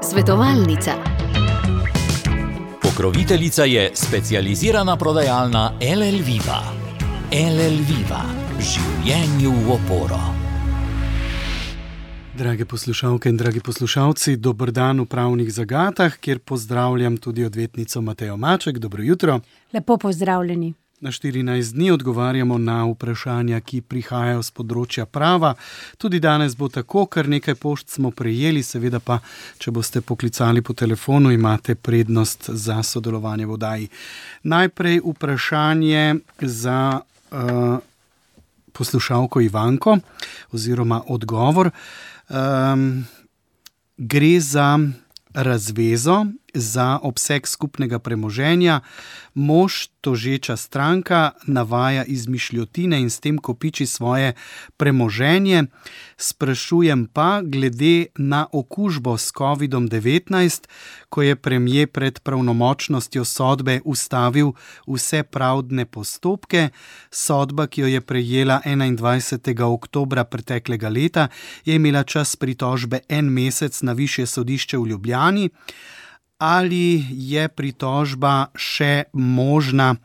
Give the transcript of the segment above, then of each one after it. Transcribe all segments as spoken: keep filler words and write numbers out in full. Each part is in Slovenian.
Svetovalnica. Pokroviteljica je specializirana prodajalna el el Viva. el el Viva. Življenju v oporo. Drage poslušalke in dragi poslušalci, dober dan v pravnih zagatah, kjer pozdravljam tudi odvetnico Matejo Maček. Dobro jutro. Lepo pozdravljeni. Na štirinajst dni odgovarjamo na vprašanja, ki prihajajo z področja prava. Tudi danes bo tako, kar nekaj pošt smo prejeli, seveda pa, če boste poklicali po telefonu, imate prednost za sodelovanje v oddaji. Najprej vprašanje za uh, poslušalko Ivanko, oziroma odgovor. Um, gre za razvezo, za obseg skupnega premoženja. Mož, tožeča stranka, navaja izmišljotine in s tem kopiči svoje premoženje. Sprašujem pa glede na okužbo s kovidom devetnajst, ko je premier pred pravnomočnostjo sodbe ustavil vse pravdne postopke. Sodba, ki jo je prejela enaindvajsetega oktobra preteklega leta, je imela čas pritožbe en mesec na Višje sodišče v Ljubljani. Ali je pritožba še možna,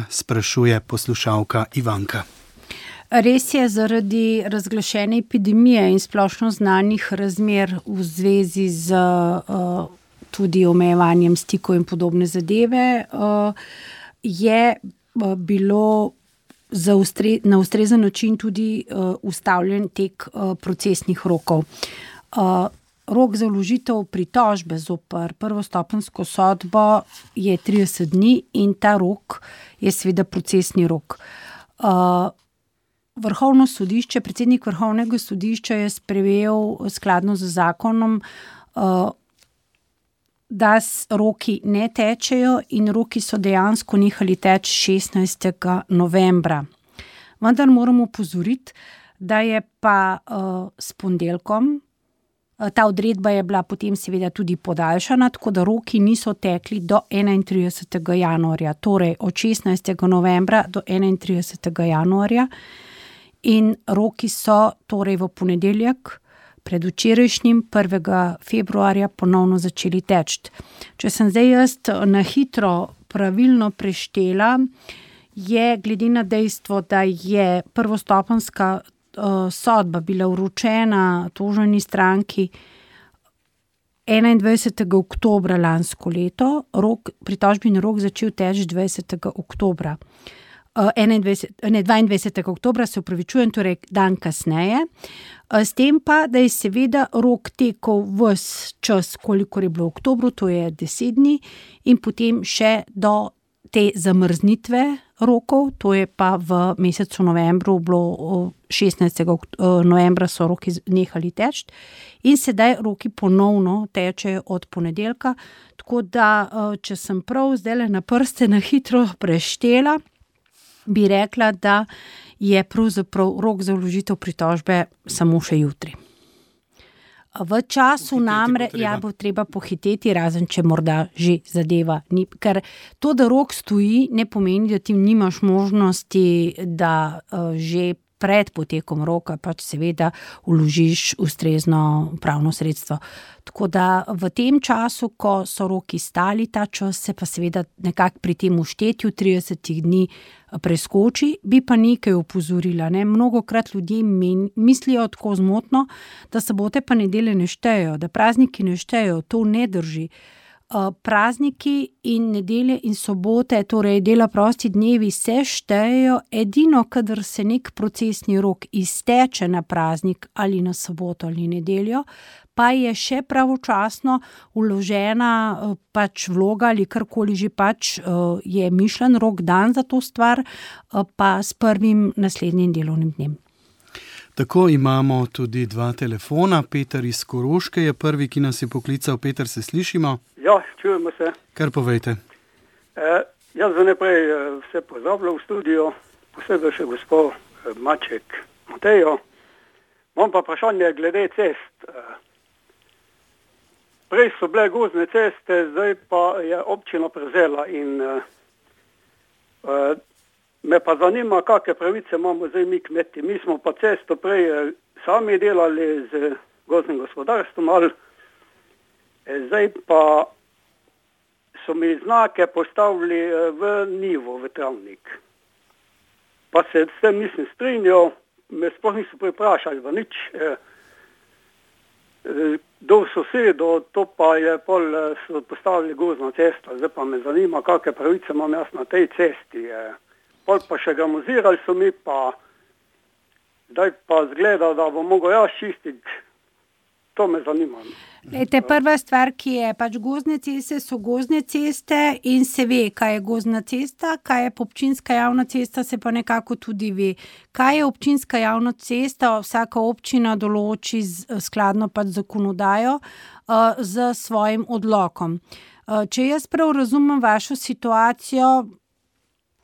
sprašuje poslušalka Ivanka. Res je, zaradi razglašene epidemije in splošno znanih razmer v zvezi z uh, tudi omejevanjem stikov in podobne zadeve, uh, je uh, bilo za ustre, na ustrezen način tudi uh, ustavljen tek uh, procesnih rokov. Uh, Rok za vložitev pritožbe zoper prvostopenjsko sodbo je trideset dni in ta rok je seveda procesni rok. Uh, Vrhovno sodišče, predsednik Vrhovnega sodišča je sprejel skladno z zakonom, uh, da roki ne tečejo in roki so dejansko nehali teči šestnajstega novembra. Vendar moramo opozoriti, da je pa uh, s ponedeljkom, ta odredba je bila potem seveda tudi podaljšana, tako da roki niso tekli do enaintridesetega januarja, torej od šestnajstega novembra do enaintridesetega januarja. In roki so torej v ponedeljek pred včerajšnjim prvega februarja ponovno začeli teči. Če sem zdaj jaz na hitro pravilno preštela, je glede na dejstvo, da je prvostopenjska sodba bila vročena toženi stranki enaindvajsetega oktobra lansko leto, rok, pritožbeni rok začel teči dvajsetega oktobra. dvaindvajsetega oktobra se upravičujem, torej dan kasneje. S tem pa, da je seveda rok tekel ves čas, kolikor je bilo v oktobru, to je deset dni, in potem še do te zamrznitve rokov, to je pa v mesecu novembru bilo šestnajstega novembra so roki nehali teči in sedaj roki ponovno tečejo od ponedeljka, tako da, če sem prav zdajle na prste na hitro preštela, bi rekla, da je pravzaprav rok za vložitev pritožbe samo še jutri. V času namre, ja, bo treba pohiteti, razen če morda že zadeva ni, ker to, da rok stoji, ne pomeni, da ti nimaš možnosti, da uh, že pred potekom roka pač seveda vložiš ustrezno pravno sredstvo. Tako da v tem času, ko so roki stali, ta čas se pa seveda nekako pri tem vštetju tridesetih dni preskoči, bi pa nekaj opozorila. Ne? Mnogokrat ljudje men, mislijo tako zmotno, da sobote pa nedelje ne štejejo, da prazniki ne štejejo, to ne drži. Uh, prazniki in nedelje in sobote, torej dela prosti dnevi, se štejejo edino, kadar se nek procesni rok izteče na praznik ali na soboto ali nedeljo, pa je še pravočasno vložena uh, pač vloga ali karkoli že pač uh, je mišljen rok dan za to stvar, uh, pa s prvim naslednjim delovnim dnem. Tako imamo tudi dva telefona. Peter iz Koroške je prvi, ki nas je poklical. Peter, se slišimo? Ja, čujemo se. Kar povejte. E, jaz za naprej vse pozdravljam v studio, posebej še gospod Maček Matejo. Imam pa vprašanje glede cest. Prej so bile gozdne ceste, zdaj pa je občina prevzela in e, me pa zanima, kakšne pravice imamo zdaj mi kmeti. Mi smo pa cesto prej sami delali z gozdnim gospodarstvom, ali zdaj pa so mi znake postavili v nivo, v travnik. Pa se s tem nisem strinjal, me sploh niso priprašali v nič. Do sosedo, to pa je pol so postavili gozdna cesta, zdaj pa me zanima, kakve pravice imam jaz na tej cesti. Pol pa še gramozirali so mi, pa zdaj pa zgleda, da bom mogel jaz čistiti. To me zanima. Lejte, prva stvar, ki je pač gozdne ceste, so gozdne ceste in se ve, kaj je gozdna cesta, kaj je občinska javna cesta, se pa nekako tudi ve. Kaj je občinska javna cesta, vsaka občina določi skladno pač zakonodajo uh, z svojim odlokom. Uh, če jaz prav razumem vašo situacijo,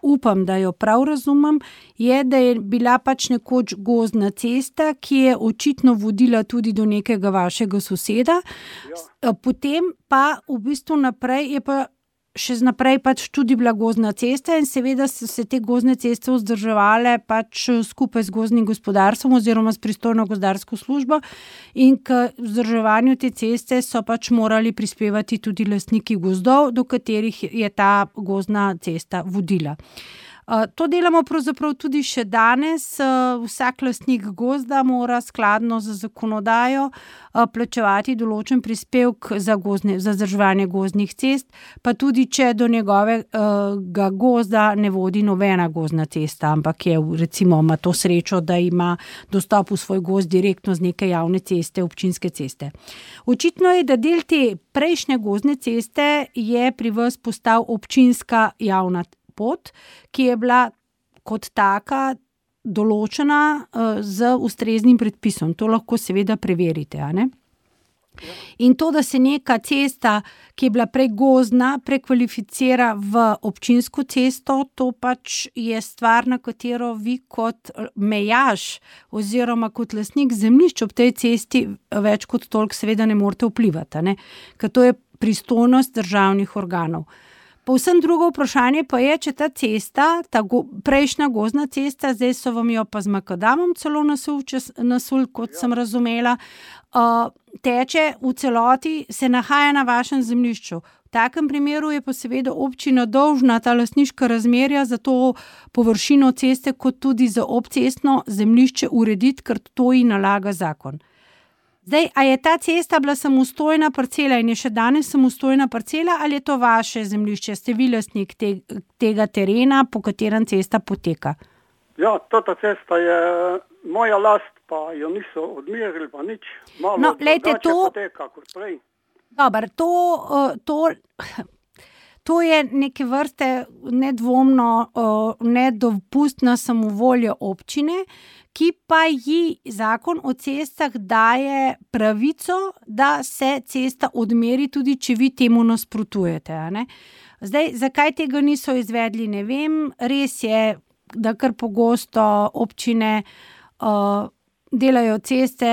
upam, da jo prav razumem, je, da je bila pač nekoč gozdna cesta, ki je očitno vodila tudi do nekega vašega soseda. Ja. Potem pa v bistvu naprej je pa še naprej pač tudi bila gozdna cesta in seveda so se te gozdne ceste vzdrževale pač skupaj z gozdnim gospodarstvom oziroma s pristojno gozdarsko službo in k vzdrževanju te ceste so pač morali prispevati tudi lastniki gozdov, do katerih je ta gozdna cesta vodila. To delamo pravzaprav tudi še danes. Vsak lastnik gozda mora skladno z zakonodajo plačevati določen prispevek za, gozdne, za vzdrževanje gozdnih cest, pa tudi če do njegovega gozda ne vodi nobena gozdna cesta, ampak je recimo ima to srečo, da ima dostop v svoj gozd direktno z neke javne ceste, občinske ceste. Očitno je, da del te prejšnje gozdne ceste je pri vas postal občinska javna pot, ki je bila kot taka določena uh, z ustreznim predpisom. To lahko seveda preverite, a ne? In to, da se neka cesta, ki je bila prej gozdna, prekvalificira v občinsko cesto, to pač je stvar, na katero vi kot mejaš oziroma kot lastnik zemljišč ob tej cesti več kot toliko seveda ne morete vplivati, a ne? Ker to je pristojnost državnih organov. Povsem drugo vprašanje pa je, če ta cesta, ta go, prejšnja gozdna cesta, zdaj so vam jo pa z makadamom celo nasul, čez, nasul kot ja. sem razumela, uh, teče v celoti, se nahaja na vašem zemljišču. V takem primeru je pa seveda občina dolžna ta lastniška razmerja za to površino ceste, kot tudi za obcestno zemljišče urediti, ker to ji nalaga zakon. Zdaj, a je ta cesta bila samostojna parcela in je še danes samostojna parcela ali je to vaše zemljišče? Ste vi lastnik te, tega terena, po katerem cesta poteka? Ja, tota cesta je moja last, pa jo niso odmerili, pa nič. Malo no, lejte, to poteka kot prej. Dobar, to, to, to je neke vrste nedvomno nedopustna samovolja občine, ki pa ji zakon o cestah daje pravico, da se cesta odmeri, tudi če vi temu nasprotujete. A ne? Zdaj, zakaj tega niso izvedli, ne vem. Res je, da kar pogosto občine uh, delajo ceste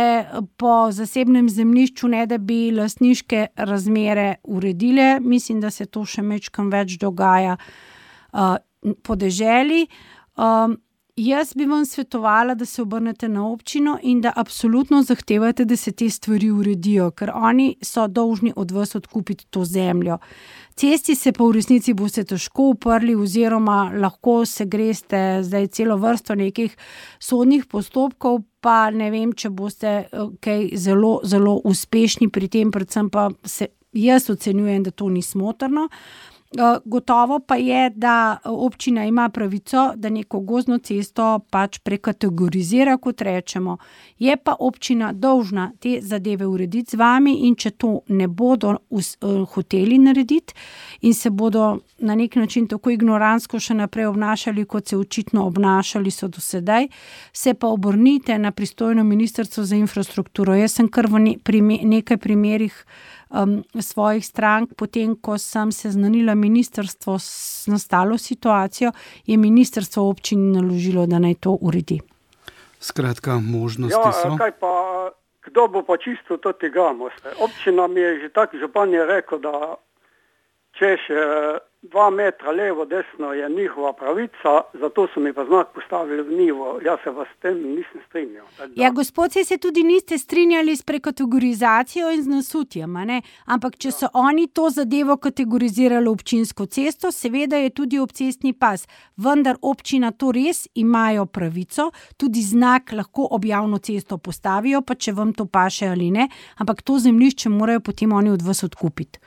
po zasebnem zemljišču, ne da bi lastniške razmere uredile. Mislim, da se to še mečkam več dogaja uh, po deželi. Um, Jaz bi vam svetovala, da se obrnete na občino in da absolutno zahtevate, da se te stvari uredijo, ker oni so dolžni od vas odkupiti to zemljo. Cesti se pa v resnici boste težko uprli oziroma lahko se greste zdaj celo vrsto nekih sodnih postopkov, pa ne vem, če boste kaj zelo, zelo uspešni pri tem, predvsem pa se, jaz ocenjujem, da to ni smotrno. Gotovo pa je, da občina ima pravico, da neko gozdno cesto pač prekategorizira, kot rečemo. Je pa občina dolžna te zadeve urediti z vami in če to ne bodo us, uh, hoteli narediti in se bodo na nek način tako ignorantsko še naprej obnašali, kot se očitno obnašali so do sedaj, se pa obrnite na pristojno ministrstvo za infrastrukturo. Jaz sem kar v ne, pri nekaj primerih Um, svojih strank, potem, ko sem seznanila ministrstvo s nastalo situacijo, je ministrstvo občini naložilo, da naj to uredi. Skratka, možnosti ja, so. Kaj pa, kdo bo pa čisto to tega? Občina mi je že tak župan je rekel, da češ dva metra levo, desno je njihova pravica, zato so mi pa znak postavili v nivo. Jaz se vas s tem nisem strinjal. Ja, gospod, se tudi niste strinjali s prekategorizacijo in z nasutjem, ne? Ampak če so oni to zadevo kategorizirali občinsko cesto, seveda je tudi obcestni pas. Vendar občina to res imajo pravico, tudi znak lahko ob javno cesto postavijo, pa če vam to paše ali ne, ampak to zemljišče morajo potem oni od vas odkupiti.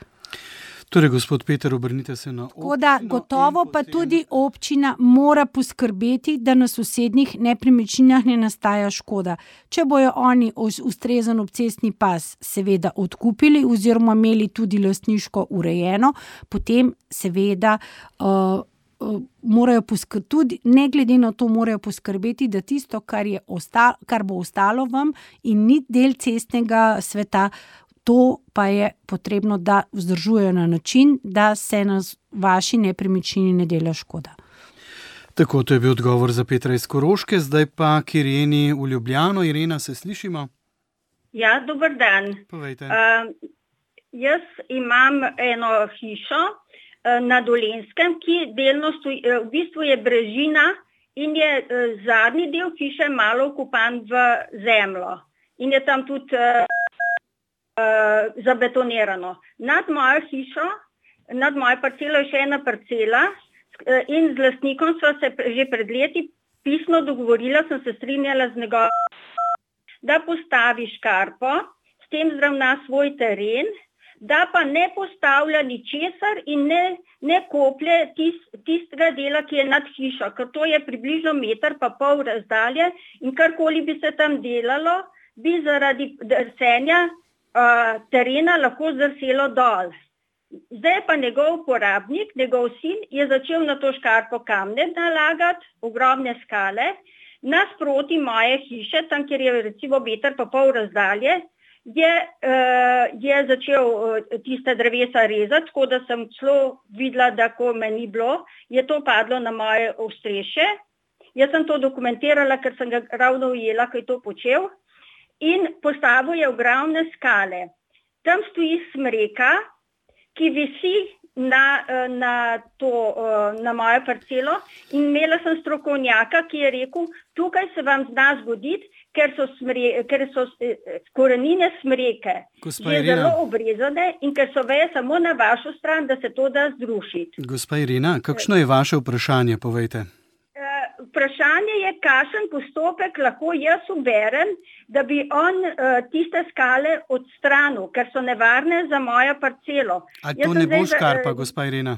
Torej, gospod Peter, obrnite se na občino. Da, gotovo pa potem... tudi občina mora poskrbeti, da na sosednjih nepremičninah ne nastaja škoda. Če bojo oni ustrezen obcestni pas seveda odkupili oziroma imeli tudi lastniško urejeno, potem seveda uh, uh, morajo poskrbeti, tudi ne glede na to morajo poskrbeti, da tisto, kar, je ostalo, kar bo ostalo vam in ni del cestnega sveta, to pa je potrebno, da vzdržujejo na način, da se na vaši nepremičnini ne dela škoda. Tako, to je bil odgovor za Petra iz Koroške, zdaj pa k Ireni v Ljubljano. Irena, se slišimo? Ja, dober dan. Povejte. Uh, jaz imam eno hišo uh, na Dolenjskem, ki delno stoji, uh, v bistvu je brežina in je uh, zadnji del hiše malo vkopan v zemljo. In je tam tudi uh, Uh, zabetonirano. Nad mojo hišo, nad mojo parcelo je še ena parcela uh, in z lastnikom sva se že pred leti pisno dogovorila, sem se strinjala z njegovim, da postavi škarpo, s tem zravna svoj teren, da pa ne postavlja ničesar in ne, ne koplje tist, tistega dela, ki je nad hišo, ker to je približno meter pa pol razdalje in karkoli bi se tam delalo, bi zaradi drsenja Uh, terena lahko zdrselo dol. Zdaj pa njegov uporabnik, njegov sin, je začel na to škarpo kamne nalagati, ogromne skale, nasproti moje hiše, tam, kjer je recimo meter pa pol razdalje, je, uh, je začel uh, tiste drevesa rezati, tako da sem celo videla, da ko me ni bilo, je to padlo na moje ostrešje. Jaz sem to dokumentirala, ker sem ga ravno ujela, ko je to počel. In postavil je ogromne skale. Tam stoji smreka, ki visi na, na, to, na mojo parcelo in imela sem strokovnjaka, ki je rekel, tukaj se vam zna zgoditi, ker so, smre, ker so korenine smreke že zelo obrezane in ker so veje samo na vašo stran, da se to da zrušiti. Gospa Irena, kakšno je vaše vprašanje, povejte? Vprašanje je, kakšen postopek lahko jaz uberem, da bi on uh, tiste skale odstranil, ker so nevarne za mojo parcelo. A to jaz ne bo zdaj, škarpa, uh, gospa Irena?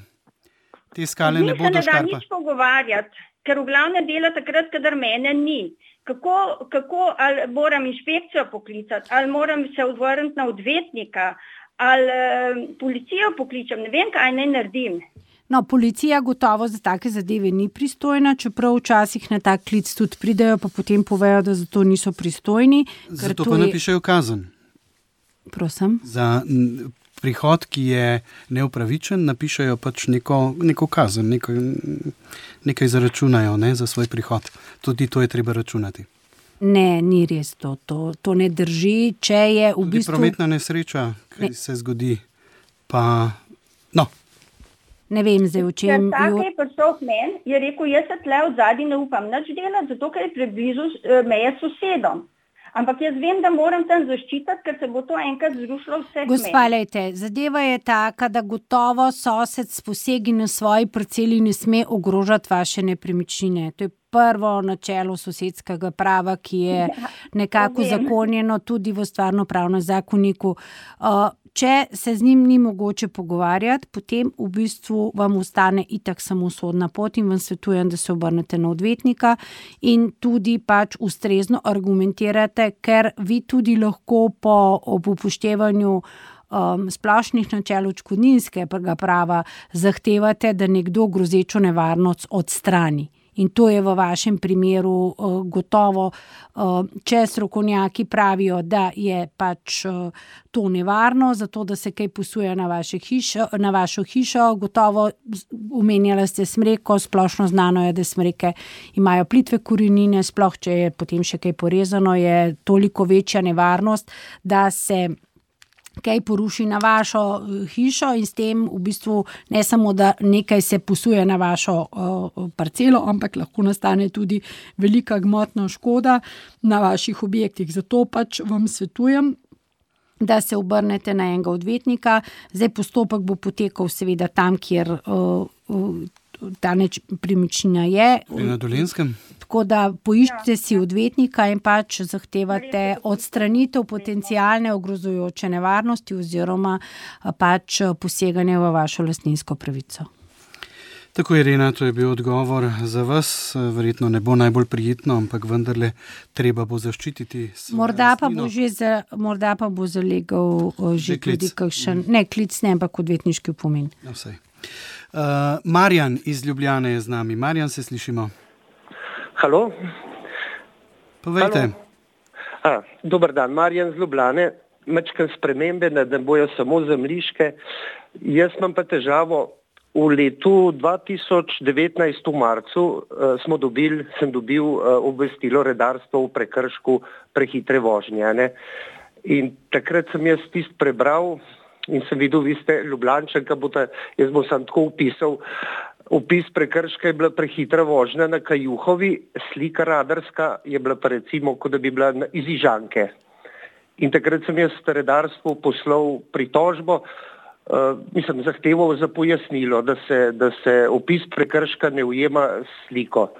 Te skale ne bodo škarpa? Mi se ne da nič pogovarjati, ker v glavne dela takrat, kadar mene ni. Kako, kako ali moram inšpekcijo poklicati, ali moram se odvrniti na odvetnika, ali uh, policijo pokličem, ne vem, kaj naj naredim. No, policija gotovo za take zadeve ni pristojna, čeprav včasih na tak klic tudi pridejo, pa potem povejo, da za to niso pristojni. Zato pa je... napišejo kazen. Prosim? Za prihod, ki je neupravičen, napišejo pač neko, neko kazen, neko, nekaj zaračunajo, ne, za svoj prihod. Tudi to je treba računati. Ne, ni res to. To, to ne drži, če je v tudi bistvu... prometna nesreča, ki ne. se zgodi, pa... No. Ne vem zdaj, v čem... Ker tako je prišel k meni, je rekel, jaz se tle od zadnji ne upam nič delati, zato ker je preblizu meje s sosedom. Ampak jaz vem, da moram tam zaščititi, ker se bo to enkrat zrušilo vse k meni. Gospa, lejte, zadeva je taka, da gotovo sosed s posegi na svoji parceli ne sme ogrožati vaše nepremičnine. To je prvo načelo sosedskega prava, ki je nekako ja, zakonjeno tudi v stvarnopravnem zakoniku. Uh, Če se z njim ni mogoče pogovarjati, potem v bistvu vam ostane itak samo sodna pot in vam svetujem, da se obrnete na odvetnika in tudi pač ustrezno argumentirate, ker vi tudi lahko po ob upoštevanju um, splošnih načel odškodninskega prava zahtevate, da nekdo grozečo nevarnost odstrani. In to je v vašem primeru uh, gotovo, uh, če strokovnjaki pravijo, da je pač uh, to nevarno, zato da se kaj posuje na, vaše hišo, na vašo hišo, gotovo omenjali ste smreko, splošno znano je, da smreke imajo plitve korenine, sploh če je potem še kaj porezano, je toliko večja nevarnost, da se kaj poruši na vašo hišo in s tem v bistvu ne samo, da nekaj se posuje na vašo uh, parcelo, ampak lahko nastane tudi velika gmotna škoda na vaših objektih. Zato pač vam svetujem, da se obrnete na enega odvetnika. Zdaj postopek bo potekal seveda tam, kjer uh, uh, ta nepremičnina je. Na Dolenjskem. Tako da poiščite si odvetnika in pač zahtevate odstranitev potencialne ogrozujoče nevarnosti oziroma pač poseganje v vašo lastninsko pravico. Tako, Irena, to je bil odgovor za vas. Verjetno ne bo najbolj prijetno, ampak vendarle treba bo zaščititi svojo morda pa lastnino. bo že za, morda pa bo zalegal uh, že, že tudi kakšen, ne klic, ne, ampak odvetniški opomin. No, vsej. Uh, Marjan iz Ljubljane je z nami. Marjan, se slišimo? Halo? Povejte. A, dober dan, Marjan z Ljubljane. Mečkam spremembe, da ne bojo samo zemljiške. Jaz imam pa težavo. V letu dva tisoč devetnajst v marcu uh, smo dobili, sem dobil uh, obvestilo redarstvo v prekršku prehitre vožnje. Ne? In takrat sem jaz tist prebral in sem videl, vi ste Ljubljančanka, bote, jaz bom sam tako upisal, opis prekrška je bila prehitra vožnja na Kajuhovi, slika radarska je bila pa recimo, kot da bi bila iz Ižanke. In takrat sem jaz redarstvu poslal pritožbo, Uh, mislim, zahteval za pojasnilo, da se, da se opis prekrška ne ujema sliko.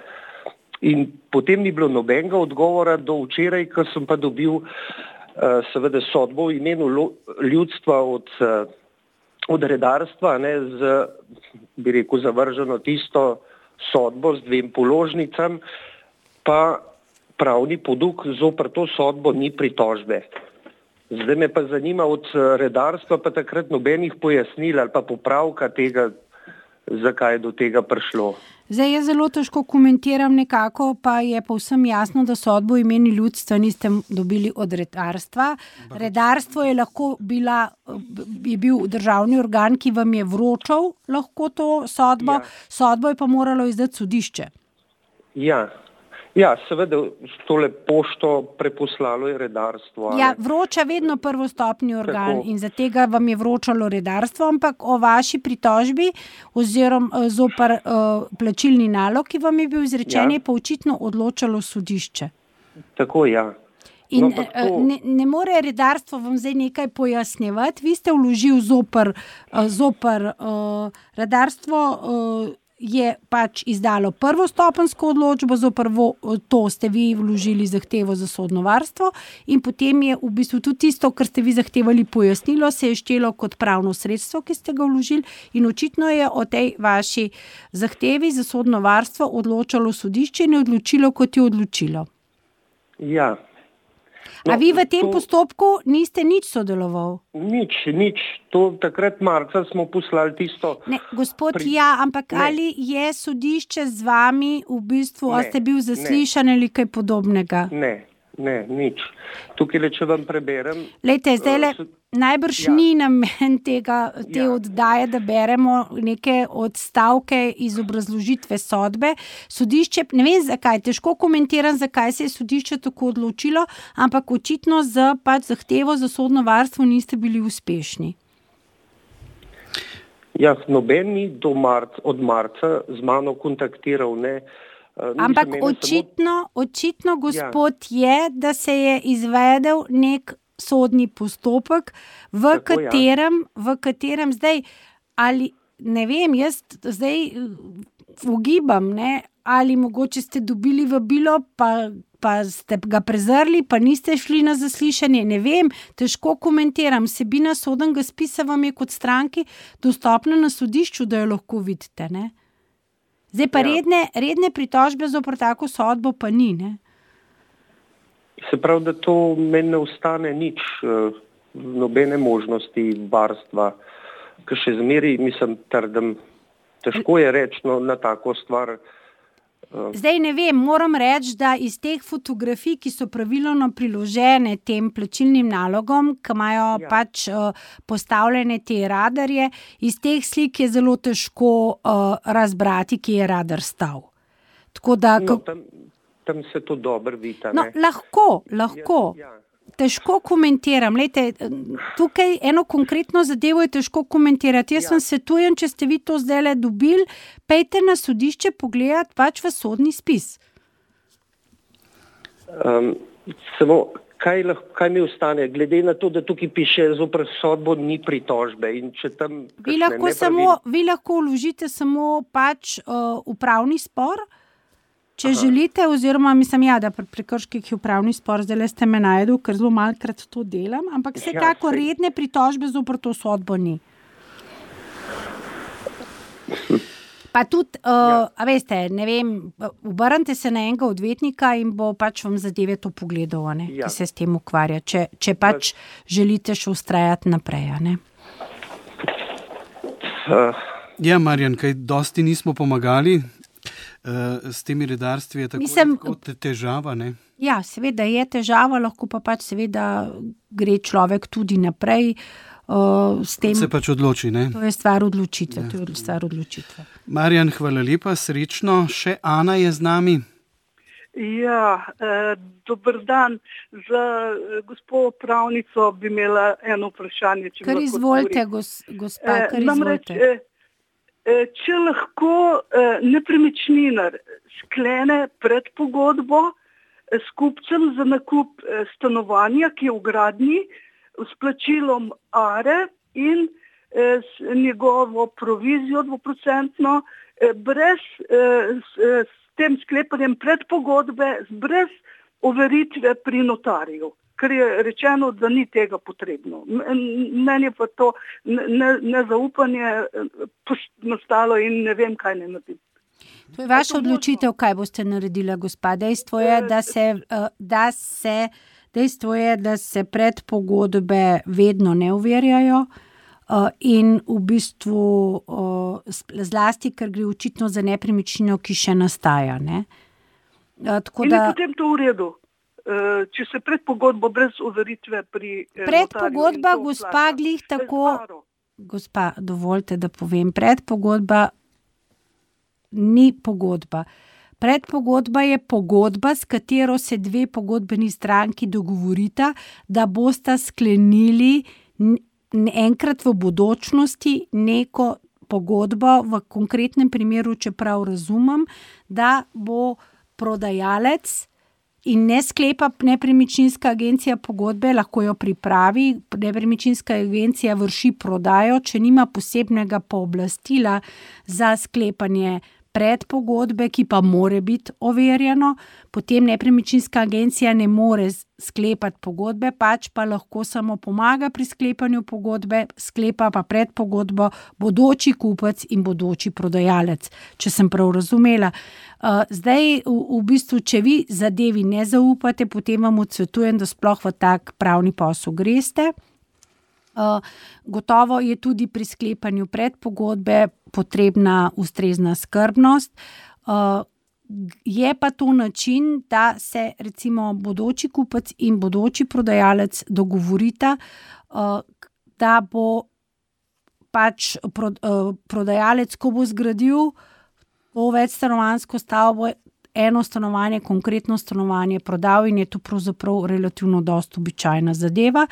In potem ni bilo nobenega odgovora do včeraj, ko sem pa dobil uh, seveda sodbo v imenu lo, ljudstva od, uh, od redarstva, ne, z, bi rekel, zavrženo tisto sodbo z dvem položnicam, pa pravni poduk zoper to sodbo ni pritožbe. Zdaj me pa zanima od redarstva pa takrat nobenih pojasnil ali pa popravka tega, zakaj je do tega prišlo. Zdaj jaz zelo težko komentiram nekako, pa je povsem jasno, da sodbo v imenu ljudstva niste dobili od redarstva. Redarstvo je lahko bila, je bil državni organ, ki vam je vročal lahko to sodbo, ja. Sodbo je pa moralo izdati sodišče. Ja. Ja, seveda, tole pošto preposlalo je redarstvo. Ali... Ja, vroča vedno prvostopni organ. Tako. In za tega vam je vročalo redarstvo, ampak o vaši pritožbi oziroma zoper uh, plačilni nalog, ki vam je bil izrečen, ja. Je pa očitno odločalo sodišče. Tako, ja. In no, to... ne, ne more redarstvo vam zdaj nekaj pojasnjevati. Vi ste vložil zoper, uh, zoper uh, redarstvo uh, je pač izdalo prvostopenjsko odločbo, zoper to ste vi vložili zahtevo za sodno varstvo in potem je v bistvu tudi tisto, kar ste vi zahtevali pojasnilo, se je štelo kot pravno sredstvo, ki ste ga vložili in očitno je o tej vaši zahtevi za sodno varstvo odločalo sodišče in je odločilo, kot je odločilo. Ja. No, a vi v tem to... postopku niste nič sodeloval? Nič, nič. To takrat marca smo poslali tisto... Ne, gospod, pri... ja, ampak ne. Ali je sodišče z vami v bistvu, ne, a ste bil zaslišan ali kaj podobnega? Ne, ne, nič. Tukaj le, če vam preberem... Lejte, zdaj le, uh, najbrž ja. Ni namen tega, te ja. Oddaje, da beremo neke odstavke iz obrazložitve sodbe. Sodišče, ne vem zakaj, težko komentiram, zakaj se je sodišče tako odločilo, ampak očitno z pač zahtevo za sodno varstvo niste bili uspešni. Ja, noben ni do marca, od marca z mano kontaktiral, ne. Uh, ampak očitno, samo... očitno, gospod, ja. Je, da se je izvedel nek sodni postopek, v Tako, katerem, ja. v katerem zdaj, ali ne vem, jaz zdaj ugibam, ne, ali mogoče ste dobili vabilo, pa, pa ste ga prezrli, pa niste šli na zaslišanje, ne vem, težko komentiram. Vsebina sodnega spisa vam je kot stranki dostopna na sodišču, da jo lahko vidite, ne. Zdaj pa ja. redne, redne pritožbe zoper tako sodbo pa ni, ne. Se pravi, da to meni ne ostane nič, nobene možnosti varstva, ker še zmeri, mislim, trdim, težko je reči no, na tako stvar. Zdaj ne vem, moram reči, da iz teh fotografij, ki so pravilno priložene tem plačilnim nalogom, ki imajo ja. Pač uh, postavljene te radarje, iz teh slik je zelo težko uh, razbrati, ki je radar stal. Tako da... No, tam... Tam se to dobro vidi. No, lahko, lahko. Ja, ja. težko komentiram. Lejte, tukaj eno konkretno zadevo je težko komentirati. Jaz ja. sem svetujem, če ste vi to zdajle dobili, pejte na sodišče pogledati pač v sodni spis. Um, samo, kaj, lahko, kaj mi ostane, glede na to, da tukaj piše zoper sodbo ni pritožbe in če tam... Vi lahko, samo, vi lahko vložite samo pač uh, upravni spor, če Aha. želite, oziroma mislim, ja, da pri prekrških je upravni spor, zdaj ste me najdel, ker zelo malkrat to delam, ampak vsekako ja, redne pritožbe zoper to sodbo ni. Pa tudi, uh, ja. a veste, ne vem, obrnite se na enega odvetnika in bo pač vam zadeve to pogledal, ne, ja. ki se s tem ukvarja, če, če pač ja. želite še ustrajati naprej, ne. Uh. Ja, Marjan, kaj dosti nismo pomagali, uh, s temi redarstvi je tako, Mislim, tako težava, ne? Ja, seveda je težava, lahko pa pač seveda gre človek tudi naprej, Uh, s tem, se pač odloči, ne? To je stvar odločitve, ja. to je stvar odločitve. Marjan, hvala lepa, srečno. Še Ana je z nami. Ja, eh, dober dan. Za eh, gospod pravnico bi imela eno vprašanje. Če kar izvolite, gos, gospa, kar eh, izvolite. Eh, eh, če lahko eh, nepremičninar sklene predpogodbo eh, s kupcem za nakup eh, stanovanja, ki je v gradnji, s plačilom are in eh, s njegovo provizijo dvoprocentno, eh, brez eh, s, eh, s tem sklepanjem predpogodbe, brez overitve pri notarju, ker je rečeno, da ni tega potrebno. Meni je pa to nezaupanje ne nastalo in ne vem, kaj ne naredim. To je vaša odločitev, kaj boste naredila, gospa. Dejstvo je, da se... Da se Dejstvo je, da se predpogodbe vedno ne overjajo uh, in v bistvu uh, zlasti, ker gre očitno za nepremičnino, ki še nastaja. Ne? Uh, tako in da, je potem to v redu, uh, če se predpogodbo brez overitve pri eh, predpogodba, gospa, glih tako, gospa, dovolite, da povem, predpogodba ni pogodba. Predpogodba je pogodba, s katero se dve pogodbeni stranki dogovorita, da bosta sklenili enkrat v bodočnosti neko pogodbo, v konkretnem primeru, čeprav razumem, da bo prodajalec in ne sklepa nepremičninska agencija pogodbe, lahko jo pripravi, nepremičninska agencija vrši prodajo, če nima posebnega pooblastila za sklepanje predpogodbe, ki pa more biti overjeno, potem nepremičninska agencija ne more sklepati pogodbe, pač pa lahko samo pomaga pri sklepanju pogodbe, sklepa pa predpogodbo bodoči kupec in bodoči prodajalec, če sem prav razumela. Zdaj, v, v bistvu, če vi zadevi ne zaupate, potem vam odsvetujem, da sploh v tak pravni posel greste. Uh, gotovo je tudi pri sklepanju predpogodbe potrebna ustrezna skrbnost. Uh, je pa to način, da se recimo bodoči kupec in bodoči prodajalec dogovorita, uh, da bo pač pro, uh, prodajalec, ko bo zgradil to večstanovanjsko stavbo, eno stanovanje, konkretno stanovanje prodal in je to pravzaprav relativno dosti običajna zadeva.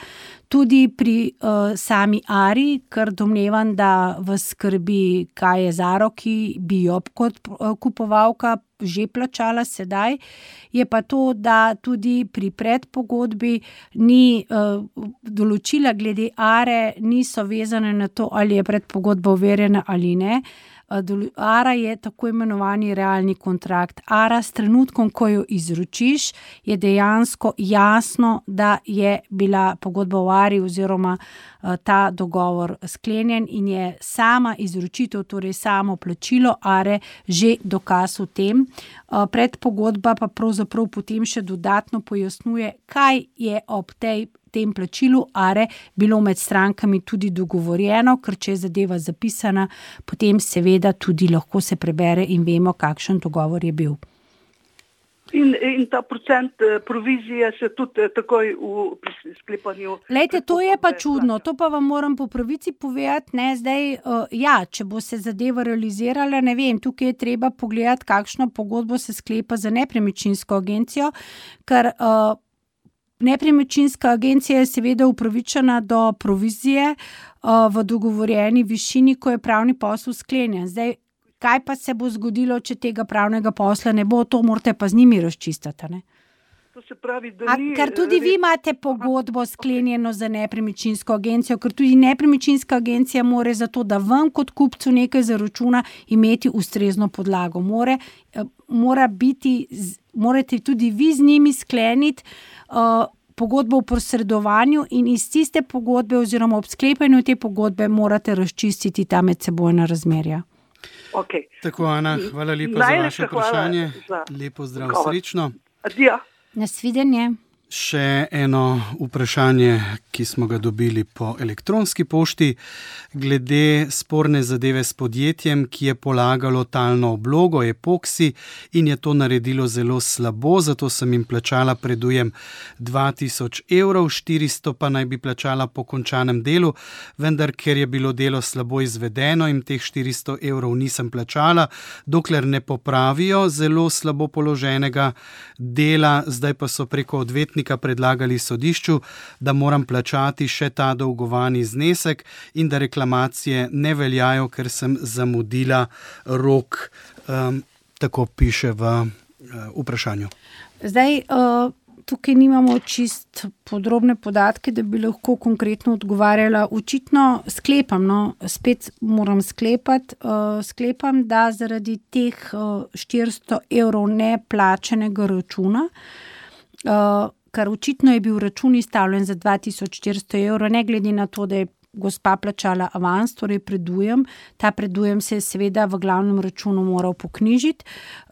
Tudi pri uh, sami Ari, ker domnevam, da vas skrbi, kaj je z Aro, ki bi jo kot uh, kupovalka že plačala sedaj, je pa to, da tudi pri predpogodbi ni uh, določila glede Are, niso vezane na to, ali je predpogodba overjena ali ne. Ara je tako imenovani realni kontrakt. Ara s trenutkom, ko jo izročiš, je dejansko jasno, da je bila pogodba v Ari oziroma ta dogovor sklenjen in je sama izročitev, torej samo plačilo Are že dokaz o tem. Predpogodba pa pravzaprav potem še dodatno pojasnjuje, kaj je ob tej tem plačilu Are bilo med strankami tudi dogovorjeno, ker če je zadeva zapisana, potem seveda tudi lahko se prebere in vemo, kakšen dogovor je bil. In, in ta procent provizije se tudi takoj v sklepanju... Lejte, to je pa čudno, to pa vam moram po pravici povedati, ne, zdaj, uh, ja, če bo se zadeva realizirala, ne vem, tukaj je treba pogledati, kakšno pogodbo se sklepa za nepremičninsko agencijo, ker uh, Nepremičninska agencija je seveda upravičena do provizije uh, v dogovorjeni višini, ko je pravni posel sklenjen. Zdaj, kaj pa se bo zgodilo, če tega pravnega posla ne bo, to morate pa z njimi razčistiti, ne? To se pravi, da A, ni... ker tudi vi imate pogodbo sklenjeno za nepremičninsko agencijo, ker tudi nepremičninska agencija mora za to, da vam kot kupcu nekaj zaračuna, imeti ustrezno podlago. More, mora biti, morate tudi vi z njimi skleniti uh, pogodbo o posredovanju in iz tiste pogodbe oziroma ob sklepanju te pogodbe morate razčistiti ta medsebojna razmerja. Okay. Tako, Ana, hvala lepa za vaše vprašanje. Za... Lepo zdrav, srečno. Adijo. Nasvidenje. Še eno vprašanje, ki smo ga dobili po elektronski pošti, glede sporne zadeve s podjetjem, ki je polagalo talno oblogo, epoksi, in je to naredilo zelo slabo, zato sem jim plačala predujem dva tisoč evrov, štiristo pa naj bi plačala po končanem delu, vendar ker je bilo delo slabo izvedeno in teh štiristo evrov nisem plačala, dokler ne popravijo zelo slabo položenega dela, zdaj pa so preko odvetnika predlagali sodišču, da moram plačati še ta dolgovani znesek in da reklamacije ne veljajo, ker sem zamudila rok, um, tako piše v uh, vprašanju. Zdaj, uh, tukaj nimamo čist podrobne podatke, da bi lahko konkretno odgovarjala. Očitno sklepam, no, spet moram sklepati, uh, sklepam, da zaradi teh uh, štiristo evrov neplačenega računa, uh, ker očitno je bil račun izstavljen za dva tisoč štiristo evrov, ne glede na to, da je gospa plačala avans, torej predujem. Ta predujem se je seveda v glavnem računu moral poknjižiti.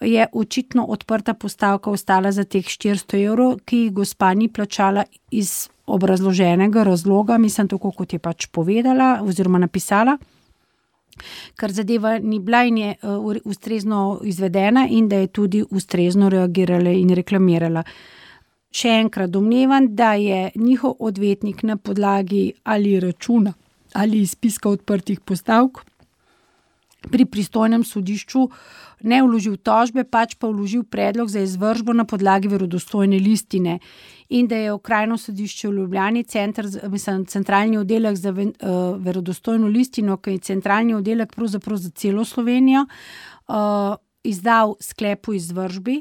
Je očitno odprta postavka ostala za teh štiristo evrov, ki jih gospa ni plačala iz obrazloženega razloga, mislim tako, kot je pač povedala oziroma napisala, ker zadeva ni bila in je uh, ustrezno izvedena in da je tudi ustrezno reagirala in reklamirala. Še enkrat domnevam, da je njihov odvetnik na podlagi ali računa ali izpiska odprtih postavk pri pristojnem sodišču ne vložil tožbe, pač pa vložil predlog za izvršbo na podlagi verodostojne listine in da je Okrajno sodišče v Ljubljani, centr, mislim, centralni oddelek za uh, verodostojno listino, ki je centralni oddelek pravzaprav za celo Slovenijo, uh, izdal sklep o izvršbi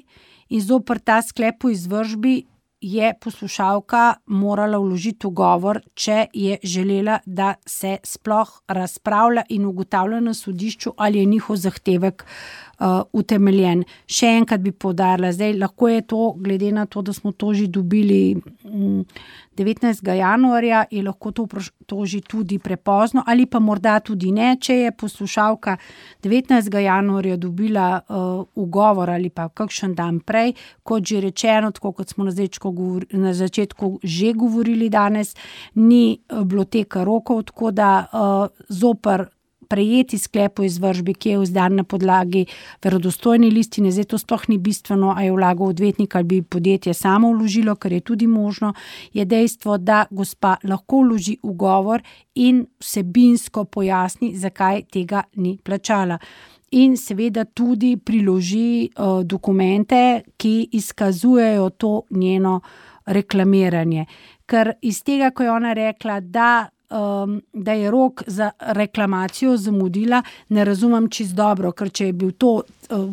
in zoper ta sklep o izvršbi je poslušalka morala vložiti ugovor, če je želela, da se sploh razpravlja in ugotavlja na sodišču, ali je njihov zahtevek uh, utemeljen. Še enkrat bi poudarila, zdaj lahko je to, glede na to, da smo to že dobili um, devetnajstega januarja, je lahko to, to že tudi prepozno, ali pa morda tudi ne, če je poslušalka devetnajstega januarja dobila uh, ugovor ali pa kakšen dan prej, kot že rečeno, tako kot smo na začetku na začetku že govorili danes, ni bilo teka rokov, tako da uh, zoper prejeti sklep o izvršbi, ki je izdan na podlagi verodostojne listine, zdaj to sploh ni bistveno, a je vlagal odvetnik ali bi podjetje samo vložilo, kar je tudi možno, je dejstvo, da gospa lahko vloži ugovor in vsebinsko pojasni, zakaj tega ni plačala. In seveda tudi priloži uh, dokumente, ki izkazujejo to njeno reklamiranje. Ker iz tega, ko je ona rekla, da, um, da je rok za reklamacijo zamudila, ne razumem čisto dobro, ker če je bil to uh,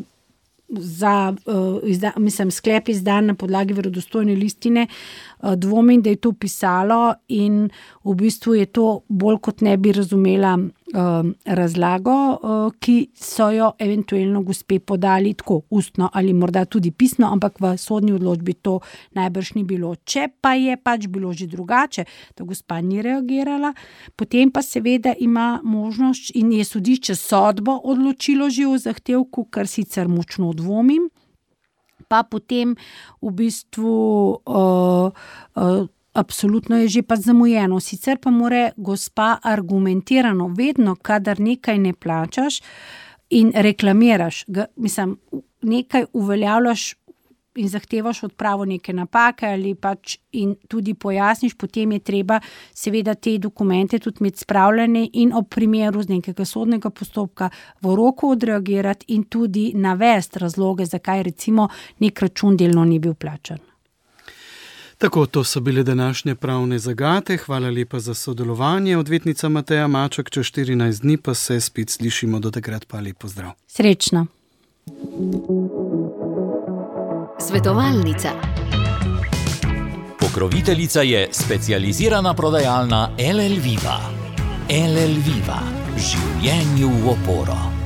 za, uh, izda, mislim, sklep izdan na podlagi verodostojne listine, uh, dvomim, da je to pisalo in v bistvu je to bolj kot ne bi razumela uh, razlago, uh, ki so jo eventualno gospe podali tako ustno ali morda tudi pisno, ampak v sodni odločbi to najbrž ni bilo. Če pa je pač bilo že drugače, da gospa ni reagirala, potem pa seveda ima možnost in je sodišče sodbo odločilo že o zahtevku, kar sicer močno dvomim, pa potem v bistvu uh, uh, absolutno je že pa zamujeno. Sicer pa mora gospa argumentirano, vedno, kadar nekaj ne plačaš in reklamiraš, ga, mislim, nekaj uveljavljaš in zahtevaš odpravo neke napake ali pač in tudi pojasniš, potem je treba seveda te dokumente tudi imeti spravljene in ob primeru z nekega sodnega postopka v roku odreagirati in tudi navesti razloge, zakaj recimo nek račun delno ni bil plačan. Tako, to so bile današnje pravne zagate. Hvala lepa za sodelovanje. Odvetnica Mateja Maček, čez štirinajst dni pa se spet slišimo, do takrat pa lep pozdrav. Srečno. Svetovalnica. Pokroviteljica je specializirana prodajalna L L Viva. L L Viva. Življenju v oporo.